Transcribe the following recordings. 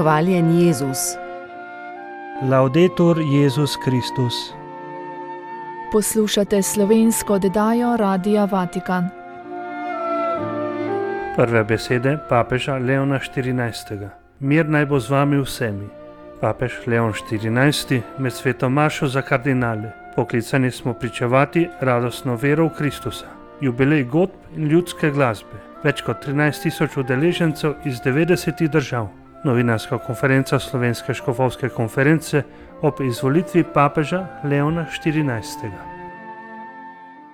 Hvaljen Jezus. Laudetur Jezus Kristus. Poslušate slovensko oddajo Radia Vatikan. Prve besede papeža Leona XIV. Mir naj bo z vami vsemi. Papež Leon XIV med sveto mašo za kardinale. Poklicani smo pričevati radostno vero v Kristusa. Jubilej godb in ljudske glasbe. Več kot 13.000 udeležencev iz 90 držav. Novinarska konferenca Slovenske škofovske konference ob izvolitvi papeža Leona XIV.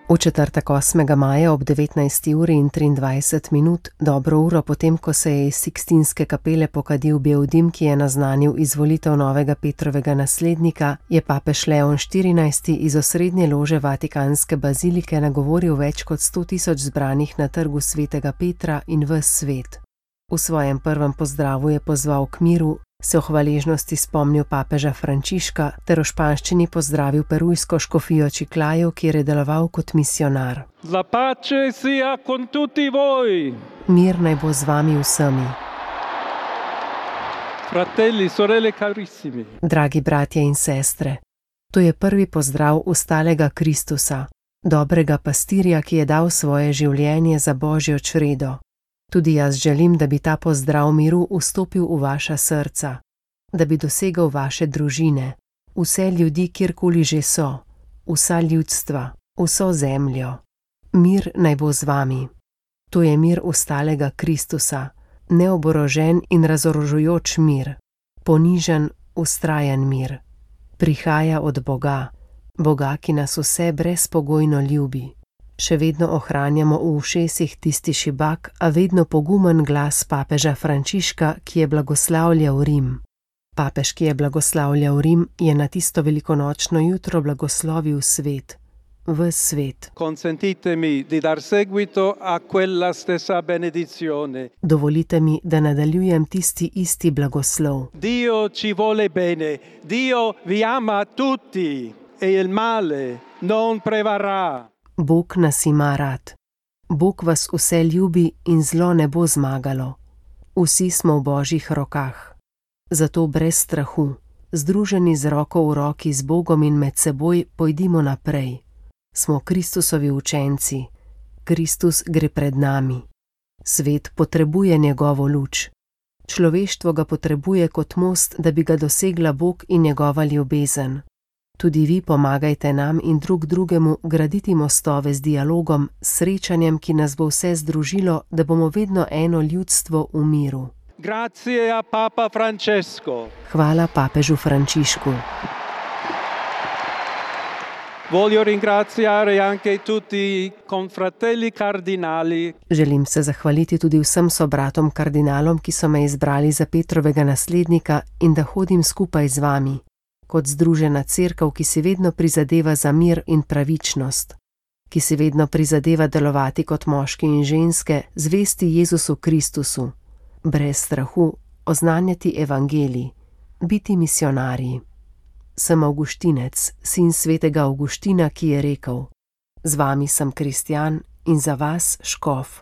V četrtek 8. maja ob 19:23, dobro uro potem, ko se je iz Sikstinske kapele pokadil bel dim, ki je naznanil izvolitev novega Petrovega naslednika, je papež Leon XIV iz osrednje lože Vatikanske bazilike nagovoril več kot 100.000 zbranih na trgu svetega Petra in ves svet. V svojem prvem pozdravu je pozval k miru, se v hvaležnosti spomnil papeža Frančiška ter v španščini pozdravil perujsko škofijo Chiclayo, kjer je deloval kot misionar. La pace sia con tutti voi. Mir naj bo z vami vsemi. Fratelli, sorelle carissimi. Dragi bratje in sestre, to je prvi pozdrav ustalega Kristusa, dobrega pastirja, ki je dal svoje življenje za Božjo čredo. Tudi jaz želim, da bi ta pozdrav miru vstopil v vaša srca, da bi dosegel vaše družine, vse ljudi, kjerkoli že so, vsa ljudstva, vso zemljo. Mir naj bo z vami. To je mir ustalega Kristusa, neoborožen in razorožujoč mir, ponižen, vztrajen mir. Prihaja od Boga, Boga, ki nas vse brezpogojno ljubi. Še vedno ohranjamo v ušesih tisti šibak, a vedno pogumen glas papeža Frančiška, ki je blagoslavljal Rim. Papež, ki je blagoslavljal Rim, je na tisto velikonočno jutro blagoslovil svet, ves svet. Consentitemi di dar seguito a quella stessa benedizione. Dovolite mi, da nadaljujem tisti isti blagoslov. Dio ci vuole bene, Dio vi ama tutti e il male non prevarrà. Bog nas ima rad. Bog vas vse ljubi in zlo ne bo zmagalo. Vsi smo v Božjih rokah. Zato brez strahu, združeni z roko v roki z Bogom in med seboj, pojdimo naprej. Smo Kristusovi učenci. Kristus gre pred nami. Svet potrebuje njegovo luč. Človeštvo ga potrebuje kot most, da bi ga dosegla Bog in njegova ljubezen. Tudi vi pomagajte nam in drug drugemu graditi mostove z dialogom, srečanjem, ki nas bo vse združilo, da bomo vedno eno ljudstvo v miru. Grazie a Papa Francesco. Hvala papežu Frančišku. Voglio ringraziare anche tutti i confratelli cardinali. Želim se zahvaliti tudi vsem sobratom kardinalom, ki so me izbrali za Petrovega naslednika in da hodim skupaj z vami. Kot združena cerkev, ki si vedno prizadeva za mir in pravičnost, ki si vedno prizadeva delovati kot moški in ženske, zvesti Jezusu Kristusu, brez strahu, oznanjati evangelij, biti misionarji. Sem Avguštinec, sin svetega Avguština, ki je rekel: z vami sem kristjan in za vas škof.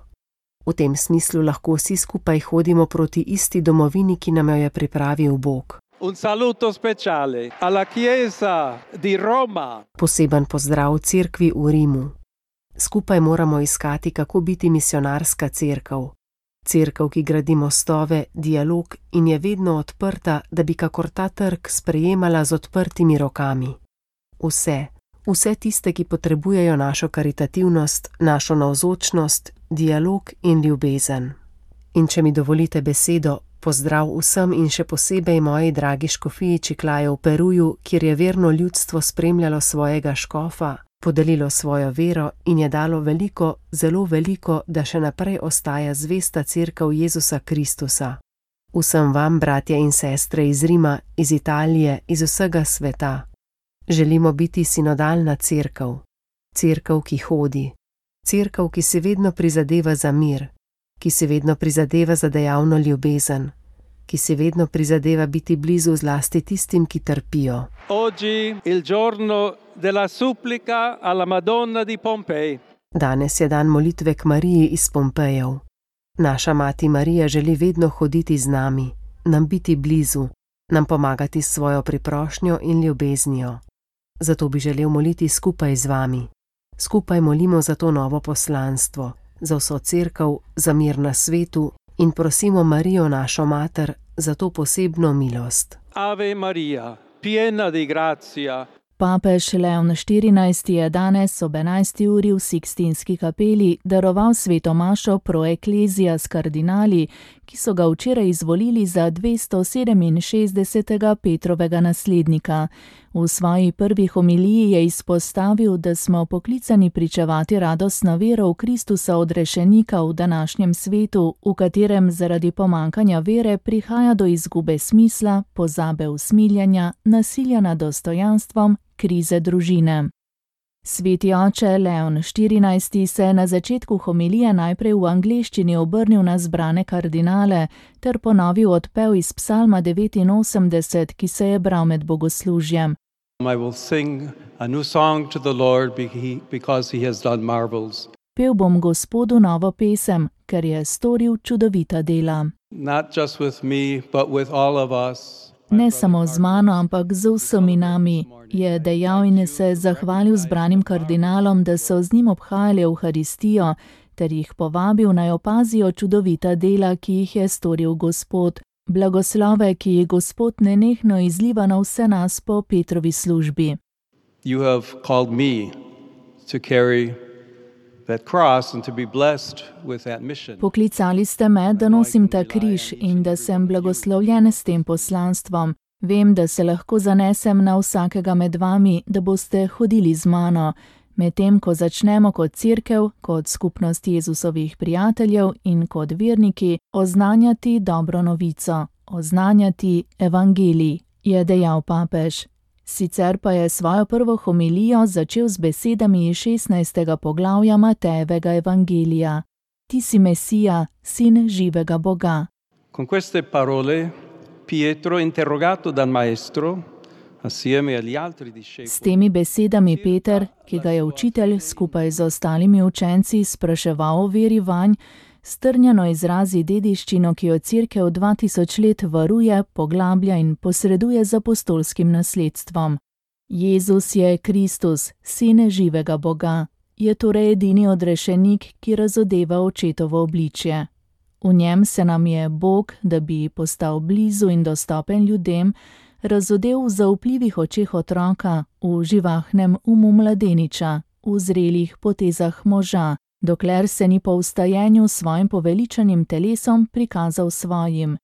V tem smislu lahko vsi skupaj hodimo proti isti domovini, ki nam jo je pripravil Bog. Un saluto speciale alla Chiesa di Roma. Poseben pozdrav cerkvi v Rimu. Skupaj moramo iskati, kako biti misionarska cerkev. Cerkev, ki gradi mostove, dialog in je vedno odprta, da bi kakor ta trg sprejemala z odprtimi rokami. Vse tiste, ki potrebujejo našo karitativnost, našo navzočnost, dialog in ljubezen. In če mi dovolite besedo, pozdrav vsem in še posebej moji dragi škofiji Chiclayo v Peruju, kjer je verno ljudstvo spremljalo svojega škofa, podelilo svojo vero in je dalo veliko, zelo veliko, da še naprej ostaja zvesta cerkev Jezusa Kristusa. Vsem vam, bratje in sestre iz Rima, iz Italije, iz vsega sveta. Želimo biti sinodalna cerkev. Cerkev, ki hodi. Cerkev, ki si vedno prizadeva za mir. Ki si vedno prizadeva za dejavno ljubezen, ki si vedno prizadeva biti blizu zlasti tistim, ki trpijo. Oggi il giorno della supplica alla Madonna di Pompei. Danes je dan molitve k Mariji iz Pompejev. Naša mati Marija želi vedno hoditi z nami. nam biti blizu, nam pomagati s svojo priprošnjo in ljubeznijo. Zato bi želel moliti skupaj z vami. Skupaj molimo za to novo poslanstvo, za vso cerkev, za mir na svetu in prosimo Marijo, našo mater, za to posebno milost. Ave Maria, piena di grazia. Papež Leon XIV. Je danes ob 11. uri v Sikstinski kapeli daroval sveto mašo pro ecclesia s kardinali, ki so ga včeraj izvolili za 267. Petrovega naslednika. V svoji prvi homiliji je izpostavil, da smo poklicani pričevati radostno vero v Kristusa odrešenika v današnjem svetu, v katerem zaradi pomankanja vere prihaja do izgube smisla, pozabe usmiljenja, nasilja nad dostojanstvom, krize družine. Sveti oče Leon XIV. Se je na začetku homilije najprej v angleščini obrnil na zbrane kardinale ter ponovil odpev iz psalma 89, ki se je bral med bogoslužjem. I will sing a new song to the Lord because he has done marvels. Pel bom Gospodu novo pesem, ker je storil čudovita dela. Not just with me, but with all of us. Ne samo z mano, ampak z vsemi nami, je dejal in se zahvalil zbranim kardinalom, da so z njim obhajali Evharistijo, ter jih povabil naj opazijo čudovita dela, ki jih je storil Gospod. Blagoslove, ki jih Gospod nenehno izliva na vse nas po Petrovi službi. You have called me to carry that cross and to be blessed with that mission. Poklicali ste me, da nosim ta križ in da sem blagoslovljen s tem poslanstvom. Vem, da se lahko zanesem na vsakega med vami, da boste hodili z mano. Medtem ko začnemo kot cerkev, kot skupnost Jezusovih prijateljev in kot verniki oznanjati dobro novico, oznanjati evangelij, je dejal papež. Sicer pa je svojo prvo homilijo začel z besedami iz 16. poglavja Matejevega evangelija. Ti si Mesija, sin živega Boga. Con queste parole Pietro, interrogato dal maestro, S temi besedami Peter, ki ga je učitelj skupaj z ostalimi učenci spraševal o veri vanj, strnjeno izrazi dediščino, ki jo cerkev 2000 let varuje, poglablja in posreduje z apostolskim nasledstvom. Jezus je Kristus, sin živega Boga, je torej edini odrešenik, ki razodeva očetovo obličje. V njem se nam je Bog, da bi postal blizu in dostopen ljudem, razodel v zaupljivih očeh otroka, v živahnem umu mladeniča, v zrelih potezah moža, dokler se ni po vstajenju s svojim poveličanim telesom prikazal svojim.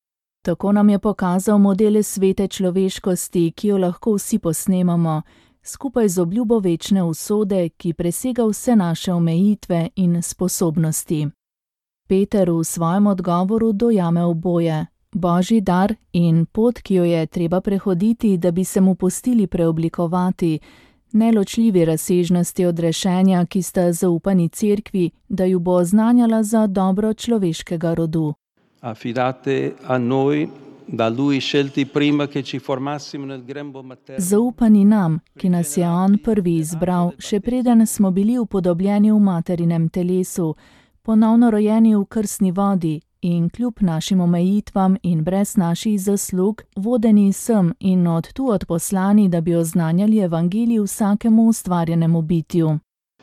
Tako nam je pokazal modele svete človeškosti, ki jo lahko vsi posnemamo, skupaj z obljubo večne usode, ki presega vse naše omejitve in sposobnosti. Peter v svojem odgovoru dojame oboje. Božji dar in pot, ki jo je treba prehoditi, da bi se mu pustili preoblikovati, neločljivi razsežnosti odrešenja, ki sta zaupani cerkvi, da ju bo oznanjala za dobro človeškega rodu. Affidate a noi, da lui scelti prima che ci formassimo nel grembo materno. Zaupani nam, ki nas je on prvi izbral, še preden smo bili upodobljeni v materinem telesu, ponovno rojeni v krstni vodi, in kljub našim omejitvam in brez naših zaslug, vodeni sem in od tu odposlani, da bi oznanjali evangelij vsakemu ustvarjenemu bitju.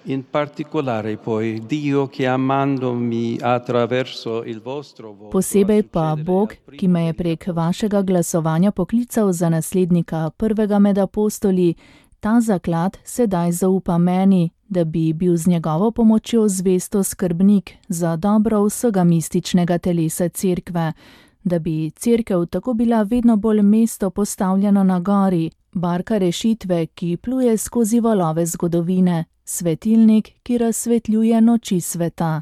In particolare poi Dio che amandomi attraverso il vostro voto. Posebej pa Bog, ki me je prek vašega glasovanja poklical za naslednika prvega med apostoli, ta zaklad sedaj zaupa meni, da bi bil z njegovo pomočjo zvesto skrbnik za dobro vsega mističnega telesa cerkve, da bi cerkev tako bila vedno bolj mesto postavljeno na gori, barka rešitve, ki pluje skozi valove zgodovine, svetilnik, ki razsvetljuje noči sveta.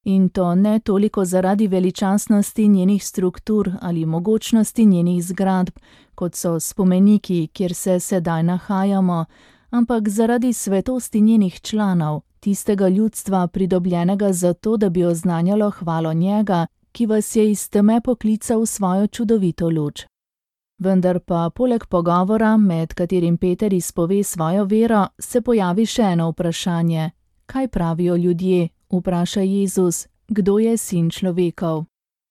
In to ne toliko zaradi veličastnosti njenih struktur ali mogočnosti njenih zgradb, kot so spomeniki, kjer se sedaj nahajamo, ampak zaradi svetosti njenih članov, tistega ljudstva pridobljenega zato, da bi oznanjalo hvalo njega, ki vas je iz teme poklical v svojo čudovito luč. Vendar pa poleg pogovora, med katerim Peter izpove svojo vero, se pojavi še eno vprašanje. Kaj pravijo ljudje? Vpraša Jezus, kdo je sin človekov.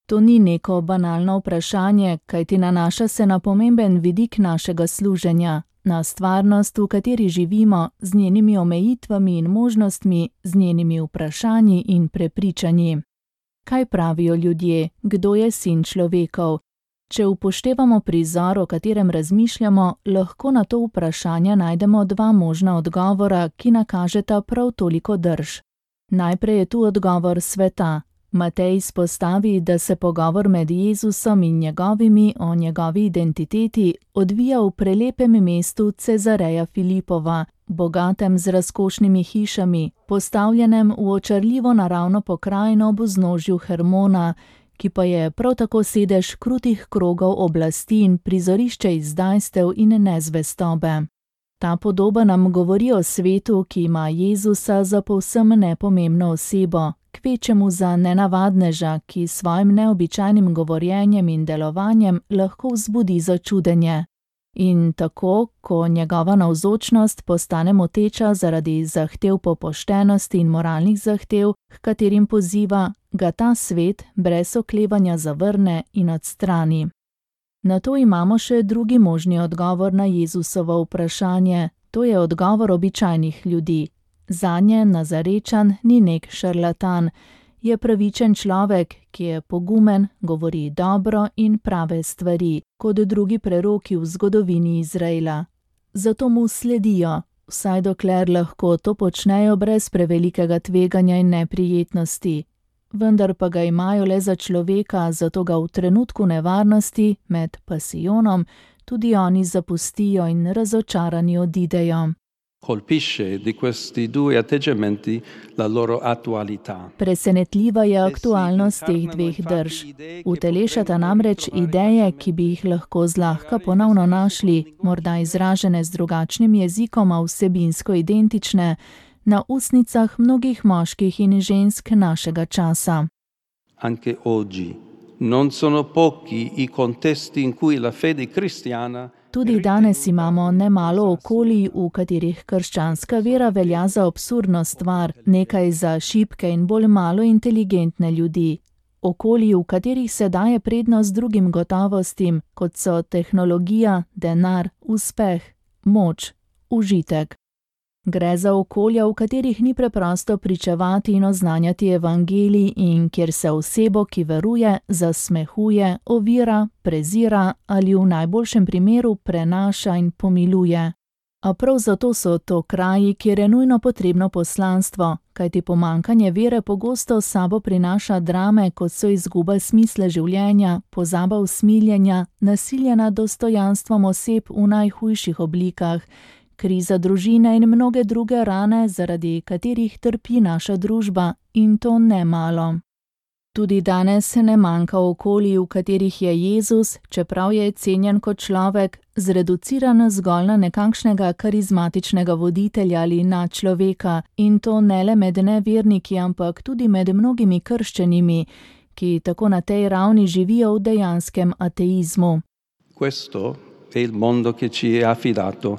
To ni neko banalno vprašanje, kajti nanaša se na pomemben vidik našega služenja, na stvarnost, v kateri živimo, z njenimi omejitvami in možnostmi, z njenimi vprašanji in prepričanji. Kaj pravijo ljudje, kdo je sin človekov? Če upoštevamo prizor, o katerem razmišljamo, lahko na to vprašanje najdemo dva možna odgovora, ki nakažeta prav toliko drž. Najprej je tu odgovor sveta. Matej izpostavi, da se pogovor med Jezusom in njegovimi o njegovi identiteti odvija v prelepem mestu Cezareja Filipova, bogatem z razkošnimi hišami, postavljenem v očarljivo naravno pokrajino ob vznožju Hermona, ki pa je prav tako sedež krutih krogov oblasti in prizorišče izdajstev in nezvestobe. Ta podoba nam govori o svetu, ki ima Jezusa za povsem nepomembno osebo, kvečemu za nenavadneža, ki s svojim neobičajnim govorjenjem in delovanjem lahko vzbudi začudenje. In tako, ko njegova navzočnost postane moteča zaradi zahtev po poštenosti in moralnih zahtev, h katerim poziva, ga ta svet brez oklevanja zavrne in odstrani. Na to imamo še drugi možni odgovor na Jezusovo vprašanje, to je odgovor običajnih ljudi. Zanje Nazarečan ni nek šarlatan, je pravičen človek, ki je pogumen, govori dobro in prave stvari, kot drugi preroki v zgodovini Izraela. Zato mu sledijo, vsaj dokler lahko to počnejo brez prevelikega tveganja in neprijetnosti. Vendar pa ga imajo le za človeka, zato ga v trenutku nevarnosti, med pasijonom, tudi oni zapustijo in razočarani odidejo. Colpisce di questi due atteggiamenti la loro attualità. Presenetljiva je aktualnost teh dveh drž. Utelešata namreč ideje, ki bi jih lahko zlahka ponovno našli, morda izražene z drugačnim jezikom, a vsebinsko identične, na ustnicah mnogih moških in žensk našega časa. Anche oggi non sono pochi i contesti in cui la fede cristiana. Tudi danes imamo nemalo okolij, v katerih krščanska vera velja za absurdno stvar, nekaj za šibke in bolj malo inteligentne ljudi. Okolij, v katerih se daje prednost drugim gotovostim, kot so tehnologija, denar, uspeh, moč, užitek. Gre za okolja, v katerih ni preprosto pričevati in oznanjati evangelij in kjer se osebo, ki veruje, zasmehuje, ovira, prezira ali v najboljšem primeru prenaša in pomiluje. A prav zato so to kraji, kjer je nujno potrebno poslanstvo, kajti pomanjkanje vere pogosto s sabo prinaša drame, kot so izguba smisla življenja, pozaba usmiljenja, nasilje nad dostojanstvom oseb v najhujših oblikah, kriza družine in mnoge druge rane, zaradi katerih trpi naša družba, in to ne malo. Tudi danes ne manjka okolij, v katerih je Jezus, čeprav je cenjen kot človek, zreduciran zgolj na nekakšnega karizmatičnega voditelja ali nadčloveka, in to ne le med neverniki, ampak tudi med mnogimi krščenimi, ki tako na tej ravni živijo v dejanskem ateizmu. Questo è il mondo che ci è affidato.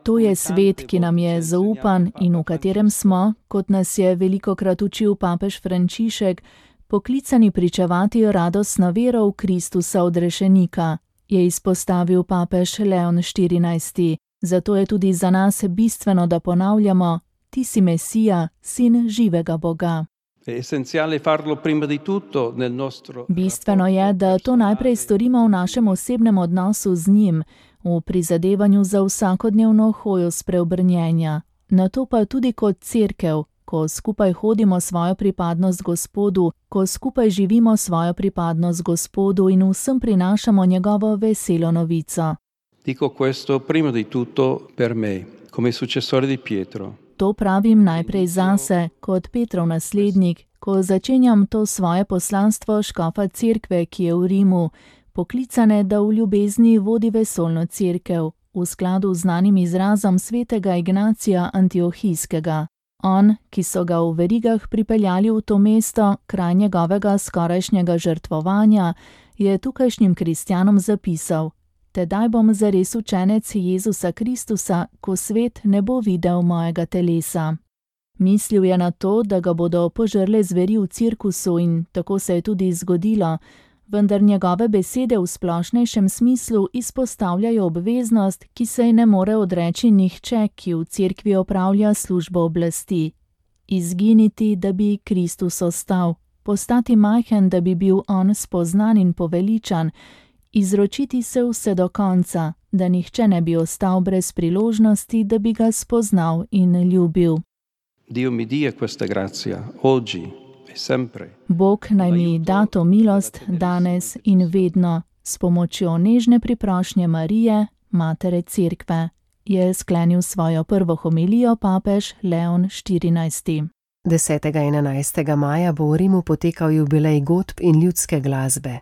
To je svet, ki nam je zaupan in v katerem smo, kot nas je velikokrat učil papež Frančišek, poklicani pričevati radostno vero v Kristusa odrešenika, je izpostavil papež Leon XIV. Zato je tudi za nas bistveno, da ponavljamo: ti si Mesija, sin živega Boga. Bistveno je, da to najprej storimo v našem osebnem odnosu z njim, v prizadevanju za vsakodnevno hojo spreobrnjenja. Nato pa tudi kot cerkev, ko skupaj hodimo svojo pripadnost Gospodu, ko skupaj živimo svojo pripadnost Gospodu in vsem prinašamo njegovo veselo novico. Dico questo prima di tutto per me, come successore di Pietro. To pravim najprej zase, kot Petrov naslednik, ko začenjam to svoje poslanstvo škofa cerkve, ki je v Rimu, poklicane, da v ljubezni vodi vesoljno cerkev, v skladu z znanim izrazom svetega Ignacija Antiohijskega. On, ki so ga v verigah pripeljali v to mesto, kraj njegovega skorajšnjega žrtvovanja, je tukajšnjim kristjanom zapisal: tedaj bom zares učenec Jezusa Kristusa, ko svet ne bo videl mojega telesa. Mislil je na to, da ga bodo požrle zveri v cirkusu in tako se je tudi zgodilo, vendar njegove besede v splošnejšem smislu izpostavljajo obveznost, ki se ji ne more odreči nihče, ki v cerkvi opravlja službo oblasti. Izginiti, da bi Kristus ostal, postati majhen, da bi bil on spoznan in poveličan, izročiti se vse do konca, da nihče ne bi ostal brez priložnosti, da bi ga spoznal in ljubil. Dio mi dia questa grazia, oggi e sempre. Bog naj mi da to milost danes in vedno, s pomočjo nežne priprošnje Marije, matere cerkve, je sklenil svojo prvo homilijo papež Leon XIV. 10. in 11. maja bo v Rimu potekal jubilej godb in ljudske glasbe.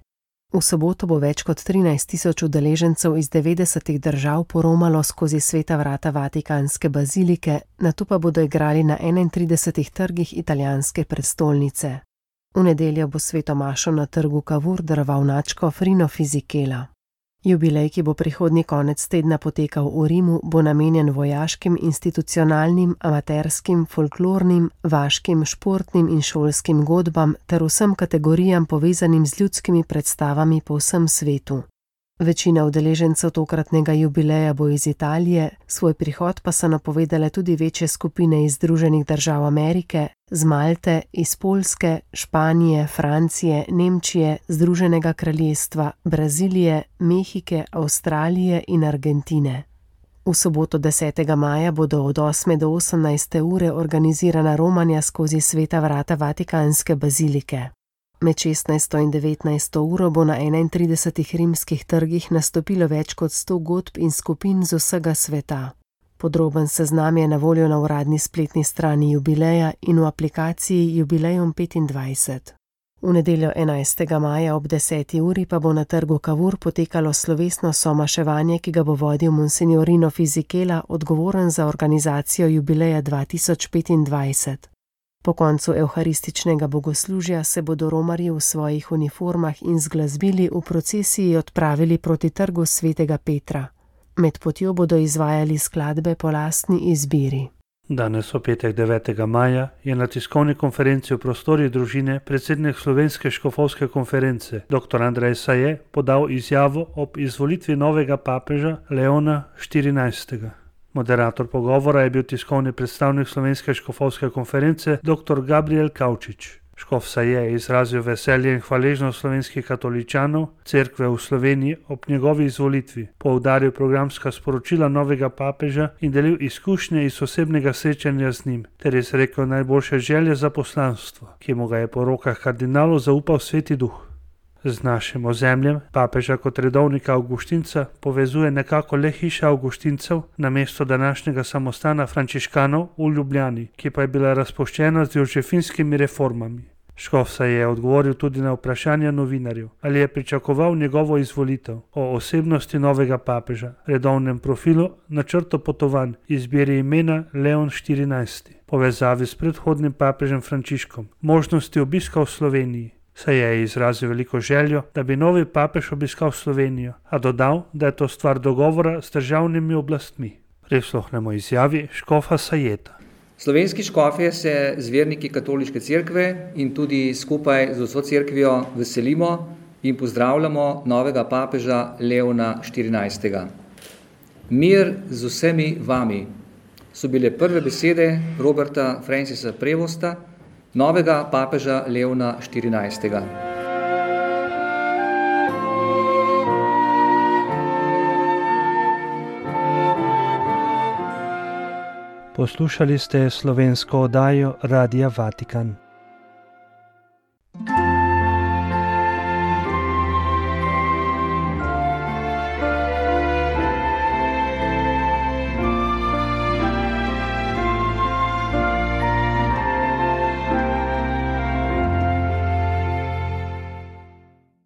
V soboto bo več kot 13.000 udeležencev iz 90 držav poromalo skozi sveta vrata Vatikanske bazilike, nato pa bodo igrali na 31 trgih italijanske prestolnice. V nedeljo bo sveto mašo na trgu Cavour daroval nadškof Rino Fisichella. Jubilej, ki bo prihodnji konec tedna potekal v Rimu, bo namenjen vojaškim, institucionalnim, amaterskim, folklornim, vaškim, športnim in šolskim godbam ter vsem kategorijam povezanim z ljudskimi predstavami po vsem svetu. Večina udeležencev tokratnega jubileja bo iz Italije, svoj prihod pa so napovedale tudi večje skupine iz Združenih držav Amerike, z Malte, iz Poljske, Španije, Francije, Nemčije, Združenega kraljestva, Brazilije, Mehike, Avstralije in Argentine. V soboto 10. maja bodo od 8. do 18. ure organizirana romanja skozi sveta vrata Vatikanske bazilike. Med 16. in 19. uro bo na 31 rimskih trgih nastopilo več kot 100 godb in skupin z vsega sveta. Podroben seznam je na voljo na uradni spletni strani jubileja in v aplikaciji Jubilejum 25. V nedeljo 11. maja ob 10. uri pa bo na trgu Cavour potekalo slovesno somaševanje, ki ga bo vodil monsignor Rino Fisichella, odgovoren za organizacijo jubileja 2025. Po koncu evharističnega bogoslužja se bodo romarji v svojih uniformah in z glasbili v procesiji odpravili proti trgu svetega Petra. Med potjo bodo izvajali skladbe po lastni izbiri. Danes v petek 9. maja je na tiskovni konferenci v prostorih družine predsednik Slovenske škofovske konference dr. Andrej Saje podal izjavo ob izvolitvi novega papeža Leona XIV. Moderator pogovora je bil tiskovni predstavnik Slovenske škofovske konference dr. Gabriel Kavčič. Škof Saje je izrazil veselje in hvaležnost slovenskih katoličanov, cerkve v Sloveniji ob njegovi izvolitvi, poudaril programska sporočila novega papeža in delil izkušnje iz osebnega srečanja z njim, ter izrekel najboljše želje za poslanstvo, ki mu ga je po rokah kardinalov zaupal Sveti Duh. Z našim ozemljem papeža kot redovnika Avguštinca povezuje nekako le hiša Avguštincev namesto današnjega samostana frančiškanov v Ljubljani, ki pa je bila razpuščena z jožefinskimi reformami. Škof se je odgovoril tudi na vprašanja novinarjev, ali je pričakoval njegovo izvolitev, o osebnosti novega papeža, redovnem profilu, načrtu potovanj, izbiri imena Leon XIV, povezavi s predhodnim papežem Frančiškom, možnosti obiska v Sloveniji. Se je izrazil veliko željo, da bi novi papež obiskal Slovenijo, a dodal, da je to stvar dogovora s državnimi oblastmi. Prisluhnemo izjavi škofa Sajeta. Slovenski škofje se z verniki katoliške cerkve in tudi skupaj z vso cerkvijo veselimo in pozdravljamo novega papeža Leona XIV. Mir z vsemi vami so bile prve besede Roberta Francisa Prevosta, novega papeža Leona XIV. Poslušali ste slovensko oddajo Radia Vatikan.